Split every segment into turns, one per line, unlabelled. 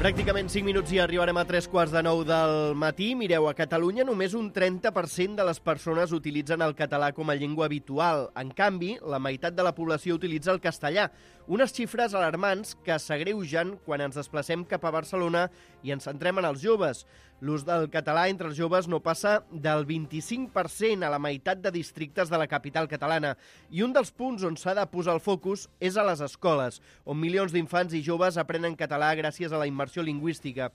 Pràcticament 5 minuts i arribarem a 3:15 del matí. Mireu, a Catalunya només un 30% de les persones utilitzen el català com a llengua habitual. En canvi, la meitat de la població utilitza el castellà. Unes xifres alarmants que s'agreugen quan ens desplacem cap a Barcelona i ens centrem en els joves. L'ús del català entre els joves no passa del 25% a la meitat de districtes de la capital catalana. I un dels punts on s'ha de posar el focus és a les escoles, on milions d'infants i joves aprenen català gràcies a la immersió lingüística.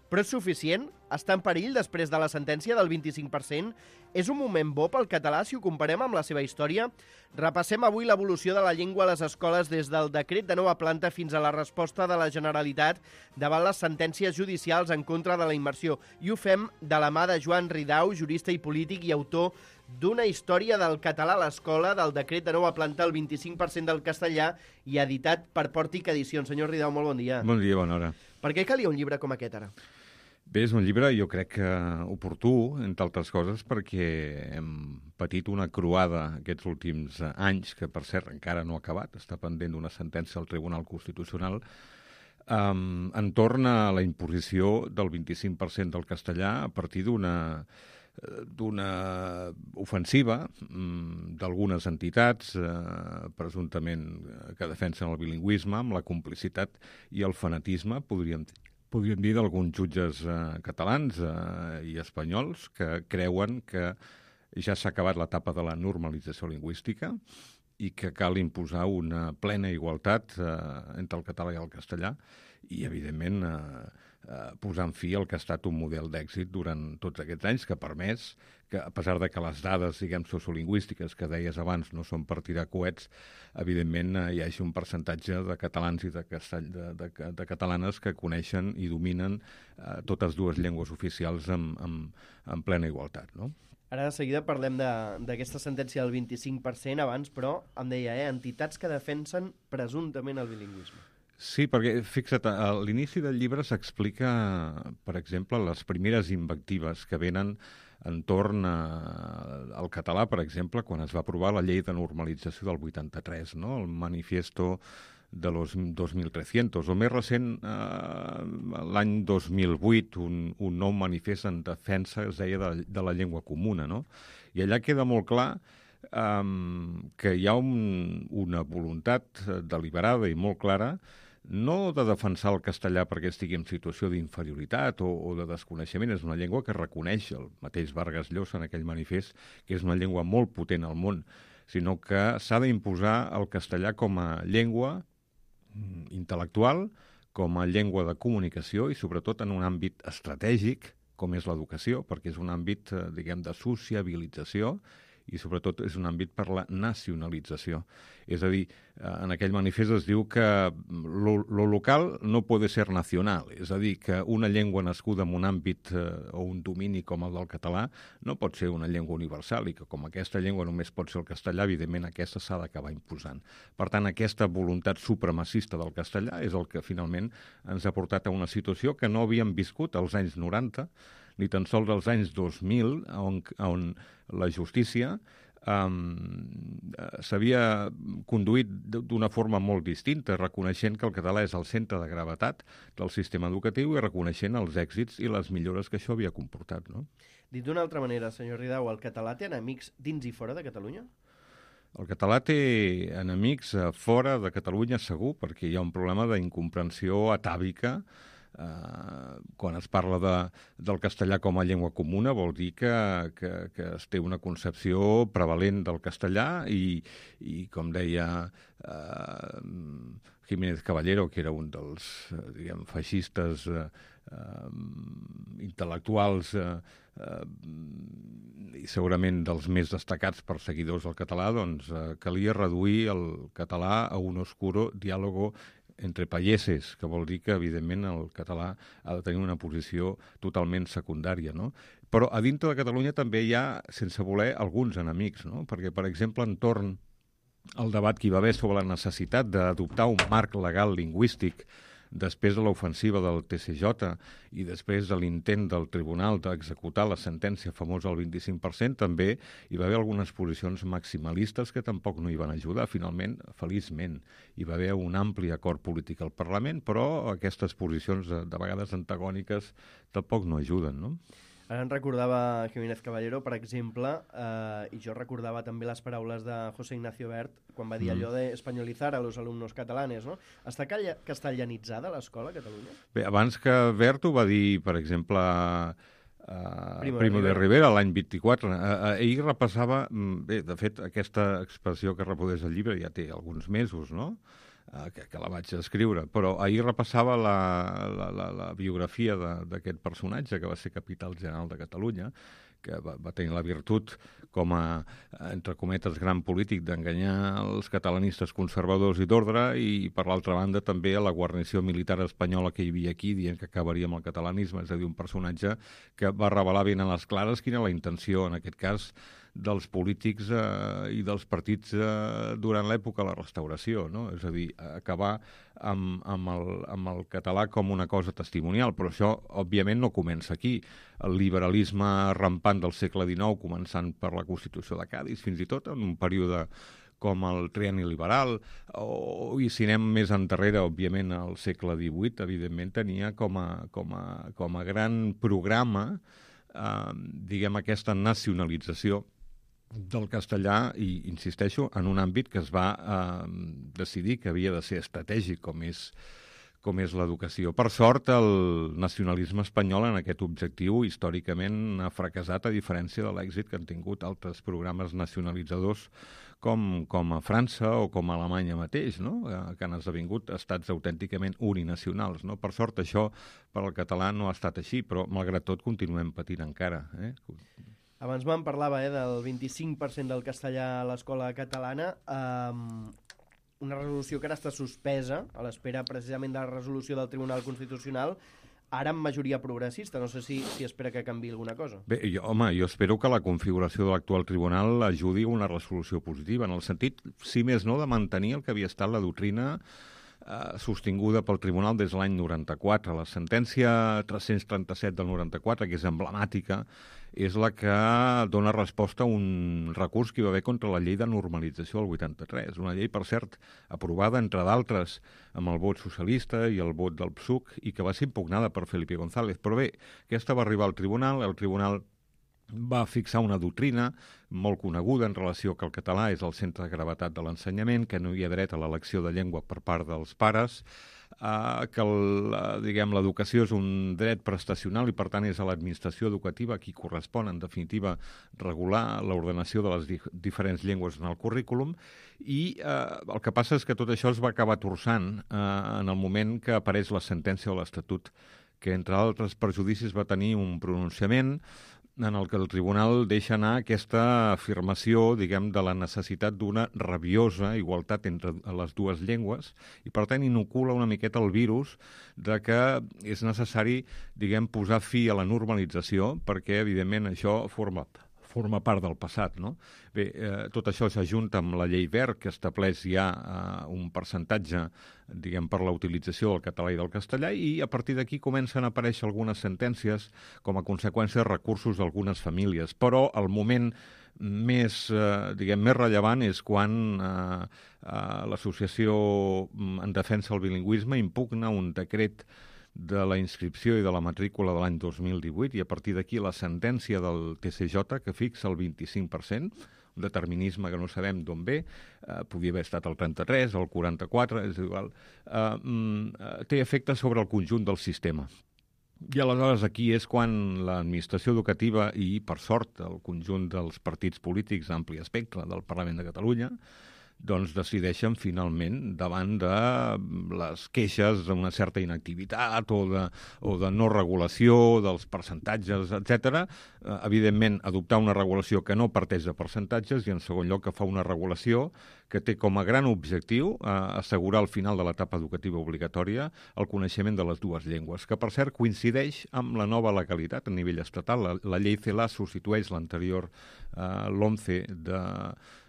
Però és suficient? Està en perill després de la sentència del 25%? És un moment bo pel català si ho comparem amb la seva història? Repassem avui l'evolució de la llengua a les escoles des del decret de nova planta fins a la resposta de la Generalitat davant les sentències judicials en contra de la immersió. I ho fem de la mà de Joan Ridao, jurista i polític i autor d'una història del català a l'escola, del decret de nova planta, el 25% del castellà, i editat per Pòrtic Edicions. Senyor Ridao, molt bon dia.
Bon dia, bona hora.
Per què calia un llibre com aquest ara?
Bé, és un llibre, jo crec que oportú, entre altres coses, perquè hem patit una croada aquests últims anys, que per cert encara no ha acabat, està pendent d'una sentència del Tribunal Constitucional, entorn a la imposició del 25% del castellà a partir d'una ofensiva d'algunes entitats presumptament que defensen el bilingüisme amb la complicitat i el fanatisme, podríem dir, d'alguns jutges catalans i espanyols que creuen que ja s'ha acabat l'etapa de la normalització lingüística i que cal imposar una plena igualtat entre el català i el castellà i, evidentment, posant fi al que ha estat un model d'èxit durant tots aquests anys, que ha permès que, a pesar de que les dades, diguem, sociolingüístiques que deies abans no són per tirar coets, evidentment hi hagi un percentatge de catalans i de catalanes que coneixen i dominen totes dues llengües oficials en plena igualtat, no?
Ara de seguida parlem d'aquesta sentència del 25%, abans, però, em deia, entitats que defensen presumptament el bilingüisme.
Sí, perquè, fixa't, a l'inici del llibre s'explica, per exemple, les primeres invectives que venen entorn al català, per exemple, quan es va aprovar la llei de normalització del 83, no? El manifiesto de los 2300, o més recent, l'any 2008, un nou manifest en defensa, es deia, de la llengua comuna, no? I allà queda molt clar que hi ha una voluntat deliberada i molt clara no de defensar el castellà perquè estigui en situació d'inferioritat o de desconeixement. És una llengua que reconeix el mateix Vargas Llosa en aquell manifest, que és una llengua molt potent al món, sinó que s'ha d'imposar el castellà com a llengua intel·lectual, com a llengua de comunicació i sobretot en un àmbit estratègic, com és l'educació, perquè és un àmbit, diguem, de sociabilització i sobretot és un àmbit per la nacionalització. És a dir, en aquell manifest es diu que lo local no puede ser nacional, és a dir, que una llengua nascuda en un àmbit o un domini com el del català no pot ser una llengua universal i que com aquesta llengua només pot ser el castellà, evidentment aquesta s'ha d'acabar imposant. Per tant, aquesta voluntat supremacista del castellà és el que finalment ens ha portat a una situació que no havíem viscut als anys 90, ni tan sols als anys 2000, on la justícia s'havia conduït d'una forma molt distinta, reconeixent que el català és el centre de gravetat del sistema educatiu i reconeixent els èxits i les millores que això havia comportat, no?
Dit d'una altra manera, senyor Ridao, el català té enemics dins i fora de Catalunya?
El català té enemics fora de Catalunya segur, perquè hi ha un problema d'incomprensió atàvica. Quan es parla del castellà com a llengua comuna vol dir que es té una concepció prevalent del castellà i com deia Jiménez Caballero, que era un dels diguem, feixistes intel·lectuals i segurament dels més destacats perseguidors del català, doncs calia reduir el català a un oscuro diàlogo entre payeses, que vol dir que, evidentment, el català ha de tenir una posició totalment secundària, no? Però a dintre de Catalunya també hi ha, sense voler, alguns enemics, no? Perquè, per exemple, entorn al debat que hi va haver sobre la necessitat d'adoptar un marc legal lingüístic després de l'ofensiva del TCJ i després de l'intent del tribunal d'executar la sentència famosa al 25%, també hi va haver algunes posicions maximalistes que tampoc no hi van ajudar. Finalment, feliçment, hi va haver un ampli acord polític al Parlament, però aquestes posicions de vegades antagòniques tampoc no ajuden, no?
Ara en recordava Jiménez Caballero, per exemple, i jo recordava també les paraules de José Ignacio Wert quan va dir allò d'espanyolitzar a los alumnos catalanes, no? Està castellanitzada l'escola a Catalunya?
Bé, abans que Wert ho va dir, per exemple, Primo de Rivera l'any 24. Ell repassava... Bé, de fet, aquesta expressió que reprodueix el llibre ja té alguns mesos, no?, que la vaig escriure, però ahir repassava la biografia d'aquest personatge que va ser capital general de Catalunya, que va tenir la virtut com a, entre cometes, gran polític d'enganyar els catalanistes conservadors i d'ordre i, per l'altra banda, també a la guarnició militar espanyola que hi havia aquí, dient que acabaria amb el catalanisme. És a dir, un personatge que va revelar ben a les clares quina era la intenció, en aquest cas, dels polítics i dels partits durant l'època de la Restauració, no? És a dir, acabar amb el català com una cosa testimonial, però això, òbviament, no comença aquí. El liberalisme rampant del segle XIX, començant per la Constitució de Cadis, fins i tot en un període com el trienni liberal, i si anem més endarrere, òbviament, al segle XVIII, evidentment, tenia com a gran programa, diguem, aquesta nacionalització del castellà, i insisteixo, en un àmbit que es va decidir que havia de ser estratègic, com és l'educació. Per sort, el nacionalisme espanyol en aquest objectiu històricament ha fracassat, a diferència de l'èxit que han tingut altres programes nacionalitzadors com a França o com a Alemanya mateix, no?, que han esdevingut estats autènticament uninacionals, no? Per sort, això per al català no ha estat així, però malgrat tot continuem patint encara,
Abans me'n parlava del 25% del castellà a l'escola catalana, una resolució que ara està suspesa, a l'espera precisament de la resolució del Tribunal Constitucional, ara amb majoria progressista. No sé si espera que canviï alguna cosa.
Bé, jo espero que la configuració de l'actual tribunal ajudi a una resolució positiva, en el sentit, si més no, de mantenir el que havia estat la doctrina sostinguda pel Tribunal des de l'any 94. La sentència 337 del 94, que és emblemàtica, és la que dona resposta a un recurs que hi va haver contra la llei de normalització del 83. Una llei, per cert, aprovada, entre d'altres, amb el vot socialista i el vot del PSUC, i que va ser impugnada per Felipe González. Però bé, aquesta va arribar al tribunal, el tribunal va fixar una doctrina molt coneguda en relació que el català és el centre de gravetat de l'ensenyament, que no hi ha dret a l'elecció de llengua per part dels pares, que l'educació és un dret prestacional i per tant és a l'administració educativa a qui correspon en definitiva regular l'ordenació de les diferents llengües en el currículum, i el que passa és que tot això es va acabar torçant en el moment que apareix la sentència de l'Estatut, que entre altres perjudicis va tenir un pronunciament en el que el tribunal deixa anar aquesta afirmació, diguem, de la necessitat d'una rabiosa igualtat entre les dues llengües i, per tant, inocula una miqueta el virus de que és necessari, diguem, posar fi a la normalització perquè, evidentment, això forma part del passat, no? Bé, tot això s'ajunta amb la llei Wert, que estableix ja un percentatge, diguem, per la utilització del català i del castellà, i a partir d'aquí comencen a aparèixer algunes sentències com a conseqüència de recursos d'algunes famílies. Però el moment més rellevant és quan l'Associació en Defensa del Bilingüisme impugna un decret de la inscripció i de la matrícula de l'any 2018 i a partir d'aquí la sentència del TCJ que fixa el 25%, un determinisme que no sabem d'on ve, podia haver estat el 33, el 44, és igual, té efecte sobre el conjunt del sistema. I aleshores aquí és quan l'administració educativa i, per sort, el conjunt dels partits polítics d'ampli espectre del Parlament de Catalunya doncs decideixen finalment davant de les queixes d'una certa inactivitat o de no regulació dels percentatges, etc. Evidentment, adoptar una regulació que no parteix de percentatges i, en segon lloc, que fa una regulació que té com a gran objectiu assegurar al final de l'etapa educativa obligatòria el coneixement de les dues llengües, que, per cert, coincideix amb la nova legalitat a nivell estatal. La llei CELA substitueix l'anterior LOMCE de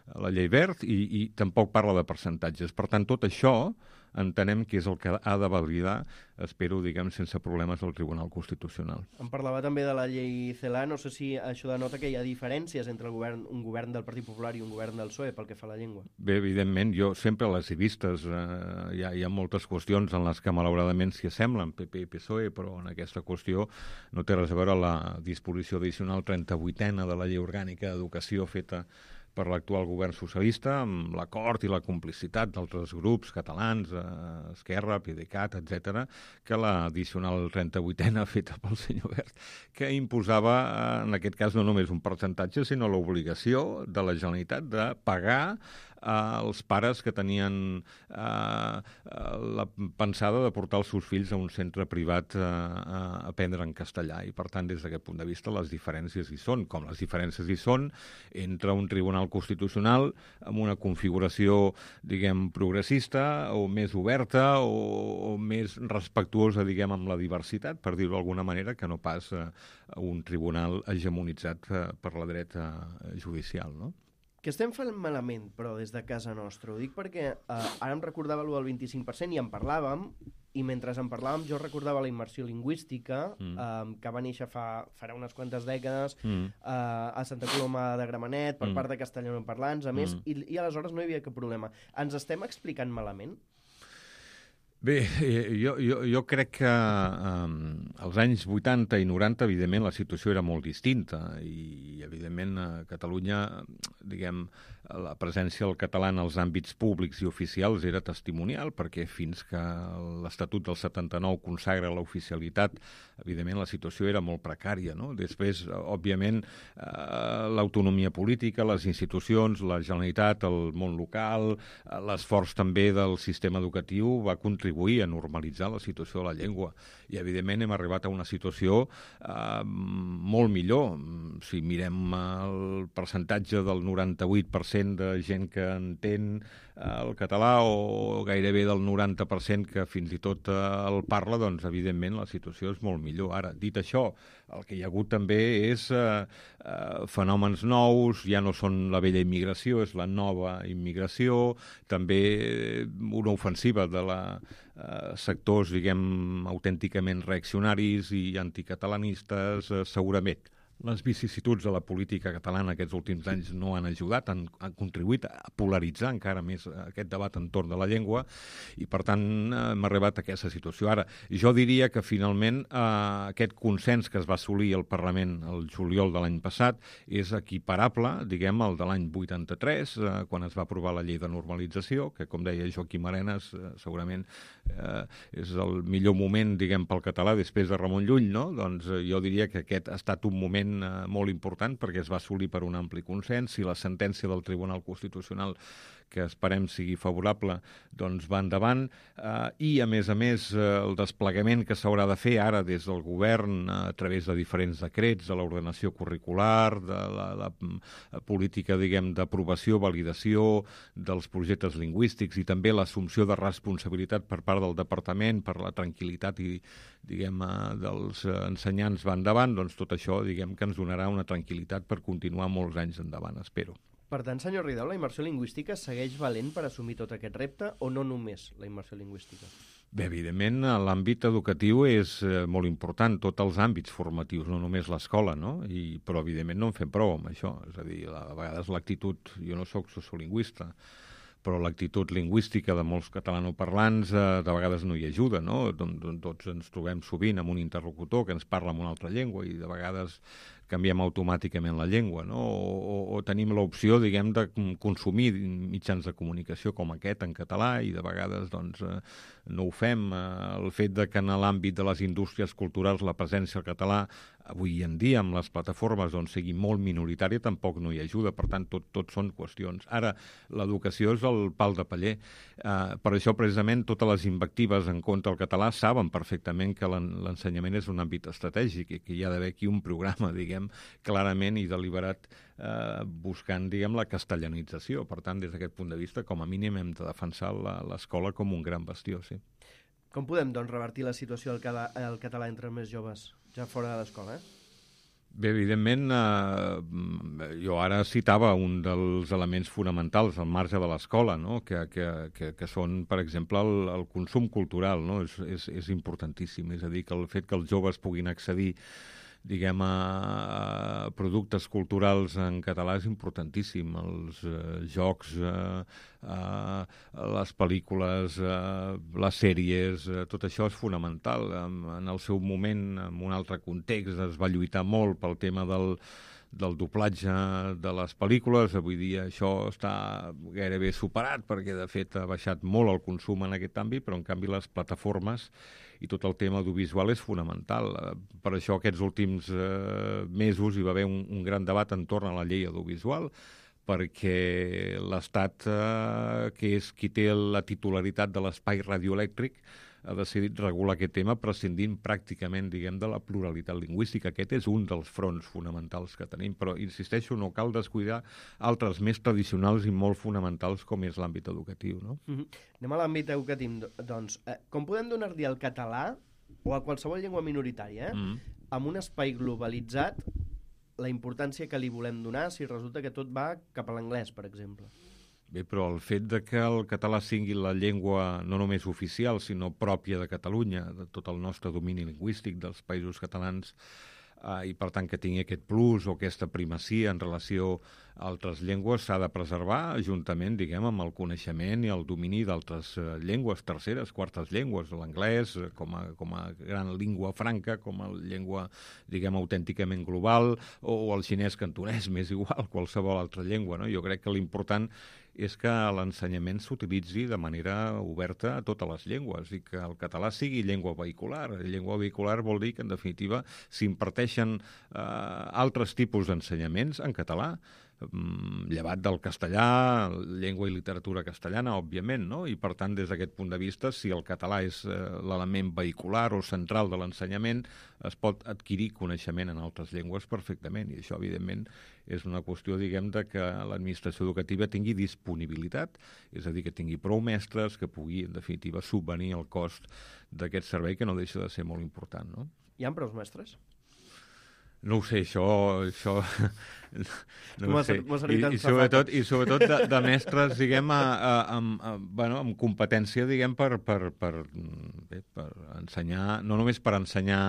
la llei Wert i tampoc parla de percentatges. Per tant, tot això entenem que és el que ha de validar, espero, diguem, sense problemes el Tribunal Constitucional.
Em parlava també de la llei CELA, no sé si això denota que hi ha diferències entre un govern del Partit Popular i un govern del PSOE pel que fa a la llengua.
Bé, evidentment, jo sempre les he vistes. Hi ha moltes qüestions en les que malauradament s'hi assemblen, PP i PSOE, però en aquesta qüestió no té res a veure la disposició addicional 38a de la Llei Orgànica d'Educació feta per l'actual govern socialista, amb l'acord i la complicitat d'altres grups catalans, Esquerra, PDeCAT, etc., que l'addicional 38a feta pel senyor Wert, que imposava, en aquest cas, no només un percentatge, sinó l'obligació de la Generalitat de pagar els pares que tenien la pensada de portar els seus fills a un centre privat a aprendre en castellà. I, per tant, des d'aquest punt de vista, les diferències hi són, com les diferències hi són entre un tribunal constitucional amb una configuració, diguem, progressista o més oberta o més respectuosa, diguem, amb la diversitat, per dir-ho d'alguna manera, que no pas un tribunal hegemonitzat per la dreta judicial, no?
Que estem fent malament, però, des de casa nostra. Ho dic perquè ara em recordava allò del 25% i en parlàvem, i mentre en parlàvem jo recordava la immersió lingüística, que va néixer farà unes quantes dècades a Santa Coloma de Gramenet per part de castellanoparlants, a més, i aleshores no hi havia cap problema. Ens estem explicant malament?
Bé, jo crec que als anys 80 i 90, evidentment, la situació era molt distinta i, evidentment, a Catalunya, diguem, la presència del català en els àmbits públics i oficials era testimonial, perquè fins que l'Estatut del 79 consagra l'oficialitat, evidentment, la situació era molt precària, no? Després, òbviament, l'autonomia política, les institucions, la Generalitat, el món local, l'esforç també del sistema educatiu va contribuir a normalitzar la situació de la llengua. I, evidentment, hem arribat a una situació molt millor. Si mirem el percentatge del 98% de gent que entén el català o gairebé del 90% que fins i tot el parla, doncs, evidentment, la situació és molt millor. Ara, dit això, el que hi ha hagut també és fenòmens nous, ja no són la vella immigració, és la nova immigració, també una ofensiva de sectors, diguem, autènticament reaccionaris i anticatalanistes, segurament. Les vicissituds de la política catalana aquests últims anys no han ajudat, han contribuït a polaritzar encara més aquest debat entorn de la llengua i, per tant, hem arribat a aquesta situació. Ara, jo diria que, finalment, aquest consens que es va assolir al Parlament el juliol de l'any passat és equiparable, diguem, al de l'any 83, quan es va aprovar la llei de normalització, que, com deia Joaquim Arenas, segurament és el millor moment, diguem, pel català després de Ramon Llull, no? Doncs jo diria que aquest ha estat un moment molt important perquè es va assolir per un ampli consens. Si la sentència del Tribunal Constitucional, que esperem sigui favorable, doncs va endavant, i a més, el desplegament que s'haurà de fer ara des del govern a través de diferents decrets, de l'ordenació curricular, de la política, diguem, d'aprovació, validació dels projectes lingüístics i també l'assumpció de responsabilitat per part del departament per la tranquil·litat i, diguem, dels ensenyants va endavant, doncs tot això, diguem, que ens donarà una tranquil·litat per continuar molts anys endavant, espero.
Per tant, senyor Ridao, la immersió lingüística segueix valent per assumir tot aquest repte o no només la immersió lingüística?
Bé, evidentment, l'àmbit educatiu és molt important, tots els àmbits formatius, no només l'escola, no? Però, evidentment, no en fem prou amb això. És a dir, a vegades l'actitud... Jo no soc sociolingüista, però l'actitud lingüística de molts catalanoparlants de vegades no hi ajuda, no? Tots ens trobem sovint amb un interlocutor que ens parla en una altra llengua i de vegades canviem automàticament la llengua, no? O tenim l'opció, diguem, de consumir mitjans de comunicació com aquest en català i de vegades, doncs, no ho fem. El fet de que en l'àmbit de les indústries culturals la presència del català avui en dia amb les plataformes doncs, sigui molt minoritària tampoc no hi ajuda, per tant tot són qüestions. Ara, l'educació és el pal de paller. Per això precisament totes les invectives en contra del català saben perfectament que l'ensenyament és un àmbit estratègic i que hi ha d'haver aquí un programa, diguem, clarament i deliberat buscant, diguem, la castellanització. Per tant, des d'aquest punt de vista, com a mínim hem de defensar l'escola com un gran bastió, sí.
Com podem, doncs, revertir la situació del català entre els més joves, ja fora de l'escola,
Bé, evidentment, jo ara citava un dels elements fonamentals al marge de l'escola, no? que són, per exemple, el consum cultural, no? És importantíssim. És a dir, que el fet que els joves puguin accedir diguem, a productes culturals en català és importantíssim. Els jocs, les pel·lícules, les sèries, tot això és fonamental. En el seu moment, en un altre context, es va lluitar molt pel tema del doblatge de les pel·lícules. Avui dia això està gairebé superat perquè, de fet, ha baixat molt el consum en aquest àmbit, però, en canvi, les plataformes i tot el tema audiovisual és fonamental. Per això aquests últims mesos hi va haver un gran debat entorn a la llei audiovisual, perquè l'Estat, que és qui té la titularitat de l'espai radioelèctric, ha decidit regular aquest tema prescindint pràcticament, diguem, de la pluralitat lingüística. Aquest és un dels fronts fonamentals que tenim, però, insisteixo, no cal descuidar altres més tradicionals i molt fonamentals com és l'àmbit educatiu, no?
Anem a l'àmbit educatiu, doncs. Com podem donar-li al català, o a qualsevol llengua minoritària, amb un espai globalitzat, la importància que li volem donar si resulta que tot va cap a l'anglès, per exemple?
Bé, però el fet de que el català sigui la llengua no només oficial, sinó pròpia de Catalunya, de tot el nostre domini lingüístic dels països catalans, i per tant que tingui aquest plus o aquesta primacia en relació a altres llengües, s'ha de preservar juntament, diguem, amb el coneixement i el domini d'altres llengües, terceres, quartes llengües, l'anglès com a gran llengua franca, com a llengua, diguem, autènticament global, o el xinès cantonès, m'és igual, qualsevol altra llengua, no? Jo crec que l'important és que l'ensenyament s'utilitzi de manera oberta a totes les llengües i que el català sigui llengua vehicular. Llengua vehicular vol dir que, en definitiva, s'imparteixen altres tipus d'ensenyaments en català, llevat del castellà, llengua i literatura castellana, òbviament, no? I, per tant, des d'aquest punt de vista, si el català és l'element vehicular o central de l'ensenyament, es pot adquirir coneixement en altres llengües perfectament, i això, evidentment, és una qüestió, diguem, de que l'administració educativa tingui disponibilitat, és a dir, que tingui prou mestres, que pugui, en definitiva, subvenir el cost d'aquest servei, que no deixa de ser molt important, no?
Hi ha prou mestres?
No ho sé, això no ho sé. I sobretot de mestres, diguem, amb competència, diguem, per ensenyar, no només per ensenyar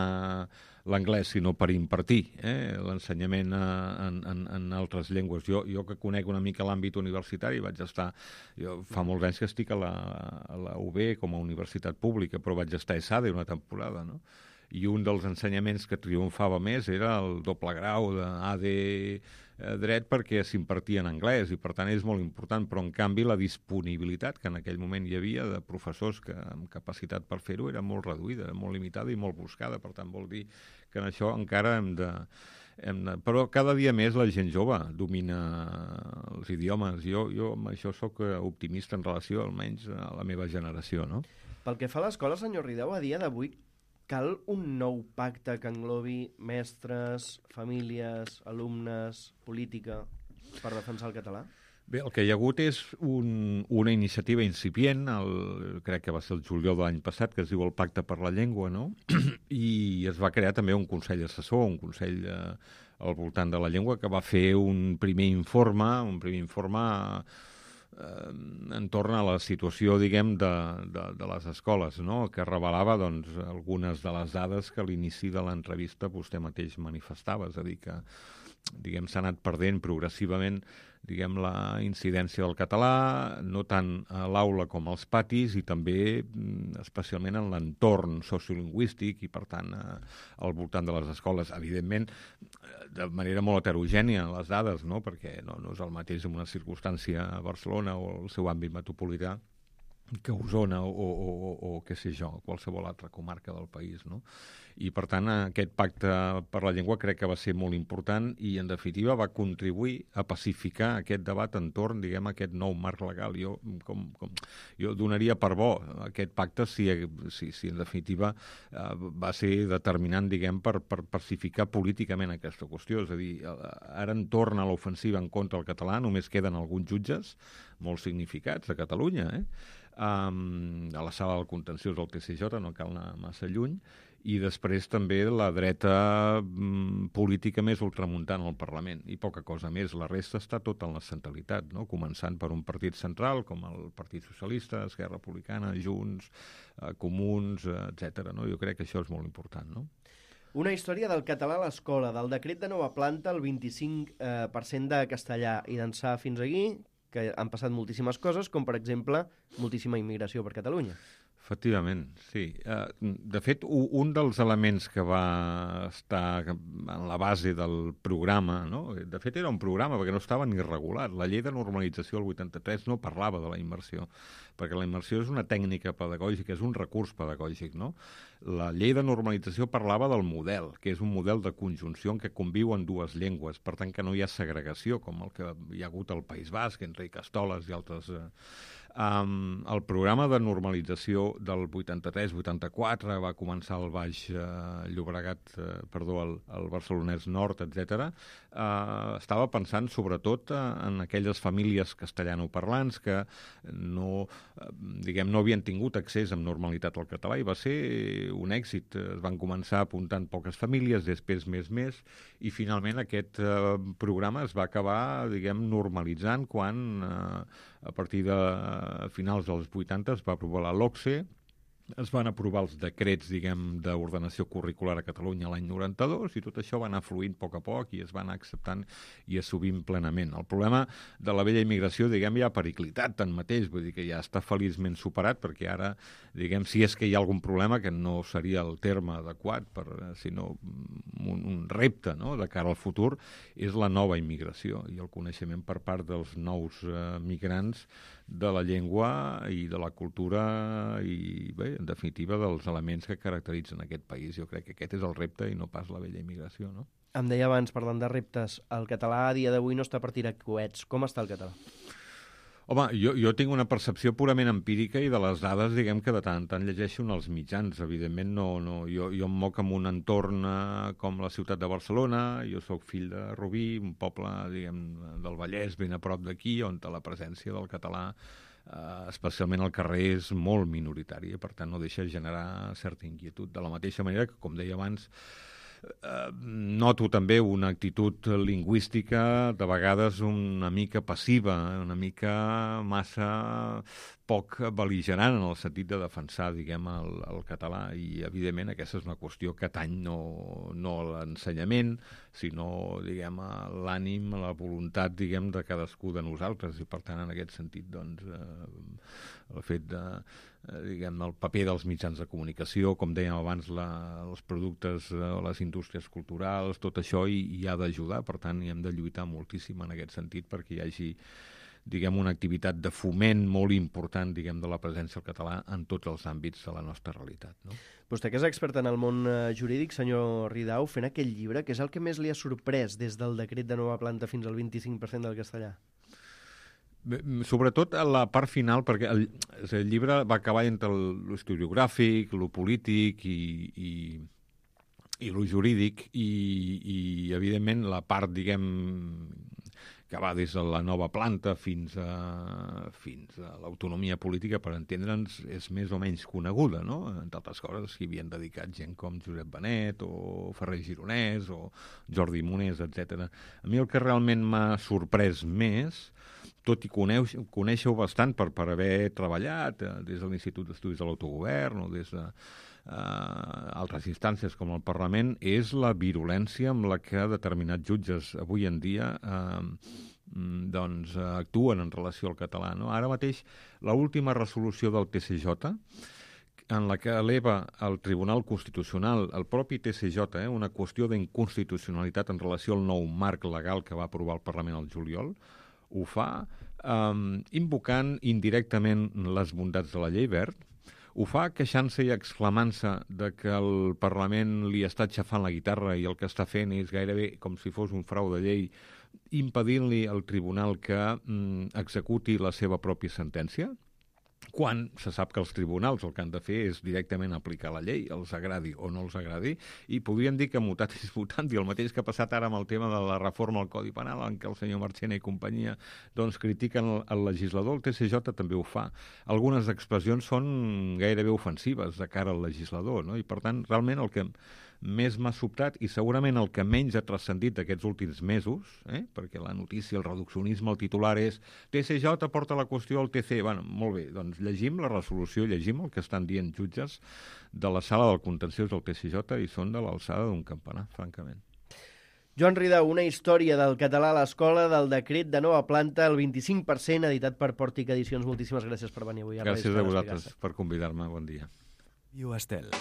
l'anglès, sinó per impartir l'ensenyament en altres llengües. Jo que conec una mica l'àmbit universitari, jo fa molts anys que estic a la UB com a universitat pública, però vaig estar a ESADE una temporada, no? I un dels ensenyaments que triomfava més era el doble grau d'AD dret, perquè s'impartia en anglès i, per tant, és molt important, però, en canvi, la disponibilitat que en aquell moment hi havia de professors amb capacitat per fer-ho era molt reduïda, molt limitada i molt buscada. Per tant, vol dir que en això encara hem de... Però cada dia més la gent jove domina els idiomes. Jo amb això sóc optimista en relació, almenys, a la meva generació, no?
Pel que fa a l'escola, senyor Rideu, a dia d'avui cal un nou pacte que englobi mestres, famílies, alumnes, política, per defensar el català?
Bé, el que hi ha hagut és una iniciativa incipient, crec que va ser el juliol de l'any passat, que es diu el Pacte per la Llengua, no? I es va crear també un consell assessor, un consell al voltant de la llengua, que va fer un primer informe entorn a la situació, diguem, de les escoles, no? Que revelava, doncs, algunes de les dades que a l'inici de l'entrevista vostè mateix manifestava, és a dir, que, diguem, s'ha anat perdent progressivament, diguem, la incidència del català, no tant a l'aula com als patis, i també especialment en l'entorn sociolingüístic i, per tant, al voltant de les escoles. Evidentment, de manera molt heterogènia, les dades, no? Perquè no és el mateix en una circumstància a Barcelona o el seu àmbit metropolità que Osona o què sé jo, qualsevol altra comarca del país, no? I, per tant, aquest pacte per la llengua crec que va ser molt important i, en definitiva, va contribuir a pacificar aquest debat entorn, diguem, aquest nou marc legal. Jo donaria per bo aquest pacte si en definitiva va ser determinant, diguem, per pacificar políticament aquesta qüestió. És a dir, ara entorn a l'ofensiva en contra del català només queden alguns jutges molt significats a Catalunya, a la sala del contenciós del TCJ, no cal anar massa lluny, i després també la dreta política més ultramuntant al Parlament, i poca cosa més. La resta està tot en la centralitat, no? Començant per un partit central, com el Partit Socialista, Esquerra Republicana, Junts, Comuns, etc. No? Jo crec que això és molt important, no?
Una història del català a l'escola, del decret de nova planta, el 25% de castellà, i d'ençà fins aquí, que han passat moltíssimes coses, com per exemple moltíssima immigració per Catalunya.
Efectivament, sí. De fet, un dels elements que va estar en la base del programa, no? De fet era un programa perquè no estava ni regulat. La llei de normalització del 83 no parlava de la immersió, perquè la immersió és una tècnica pedagògica, és un recurs pedagògic, no? La llei de normalització parlava del model, que és un model de conjunció en què conviuen dues llengües, per tant que no hi ha segregació, com el que hi ha hagut al País Basc, Enric Castoles i altres... El programa de normalització del 83-84 va començar al Baix Llobregat, al Barcelonès Nord, etc. Estava pensant sobretot en aquelles famílies castellanoparlants que no havien tingut accés amb normalitat al català, i va ser un èxit. Es van començar apuntant poques famílies, després més, i finalment aquest programa es va acabar, normalitzant quan a partir de finals dels 80 es va aprovar la LOCSE, es van aprovar els decrets, d'ordenació curricular a Catalunya l'any 92, i tot això va anar fluint a poc i es va anar acceptant i assumint plenament. El problema de la vella immigració, ja ha periclitat tanmateix, vull dir que ja està feliçment superat, perquè ara, si és que hi ha algun problema, que no seria el terme adequat, sinó un repte, no?, de cara al futur, és la nova immigració i el coneixement per part dels nous migrants de la llengua i de la cultura i, bé, en definitiva, dels elements que caracteritzen aquest país. Jo crec que aquest és el repte i no pas la vella immigració, no?
Em deia abans, parlant de reptes, el català a dia d'avui no està per tirar coets. Com està el català?
Home, jo tinc una percepció purament empírica i de les dades, que de tant en tant llegeixo en els mitjans. Evidentment, jo em moc en un entorn com la ciutat de Barcelona. Jo sóc fill de Rubí, un poble, del Vallès, ben a prop d'aquí, on la presència del català, especialment al carrer, és molt minoritària, per tant no deixa generar certa inquietud. De la mateixa manera que, com deia abans, noto també una actitud lingüística de vegades una mica passiva, una mica massa poc bel·ligerant en el sentit de defensar, el català, i evidentment aquesta és una qüestió que atany no a l'ensenyament, sinó, a l'ànim, a la voluntat, de cadascú de nosaltres, i per tant en aquest sentit, el fet de el paper dels mitjans de comunicació, com dèiem abans, els productes, les indústries culturals, tot això hi ha d'ajudar. Per tant, hi hem de lluitar moltíssim en aquest sentit perquè hi hagi una activitat de foment molt important, de la presència del català en tots els àmbits de la nostra realitat, no?
Vostè, que és expert en el món jurídic, senyor Ridao, fent aquell llibre, què és el que més li ha sorprès des del decret de nova planta fins al 25% del castellà?
Sobretot a la part final, perquè el llibre va acabar entre l'historiogràfic, lo polític i lo jurídic, i evidentment la part, que va des de la nova planta fins a l'autonomia política, per entendre'ns, és més o menys coneguda, no? Entre altres coses, s'hi havien dedicat gent com Josep Benet o Ferrer Gironès o Jordi Monés, etc. A mi el que realment m'ha sorprès més, tot i conèixer-ho bastant per haver treballat des de l'Institut d'Estudis de l'Autogovern o des de altres instàncies com el Parlament, és la virulència amb la que determinats jutges avui en dia actuen en relació al català, no? Ara mateix, l'última resolució del TCJ, en la que eleva al Tribunal Constitucional, el propi TCJ, una qüestió d'inconstitucionalitat en relació al nou marc legal que va aprovar el Parlament al juliol, ho fa invocant indirectament les bondats de la llei Wert, ho fa queixant-se i exclamant-se de que el Parlament li està aixafant la guitarra i el que està fent és gairebé com si fos un frau de llei, impedint-li al tribunal que executi la seva pròpia sentència. quan se sap que els tribunals el que han de fer és directament aplicar la llei, els agradi o no els agradi, i podríem dir que mutatis mutandi, el mateix que ha passat ara amb el tema de la reforma al Codi Penal, en què el senyor Marchena i companyia doncs, critiquen el legislador, el TCJ també ho fa. Algunes expressions són gairebé ofensives de cara al legislador, no? I per tant, realment el que més m'ha sobtat, i segurament el que menys ha transcendit aquests últims mesos, perquè la notícia, el reduccionisme, el titular és TCJ porta la qüestió al TC. Bueno, molt bé, doncs llegim la resolució, llegim el que estan dient jutges de la sala del contenciós del TCJ i són de l'alçada d'un campanar, francament.
Joan Ridao, una història del català a l'escola, del decret de nova planta, el 25%, editat per Pòrtic Edicions. Moltíssimes gràcies per venir avui.
Gràcies a vosaltres per convidar-me. Bon dia.
Estel.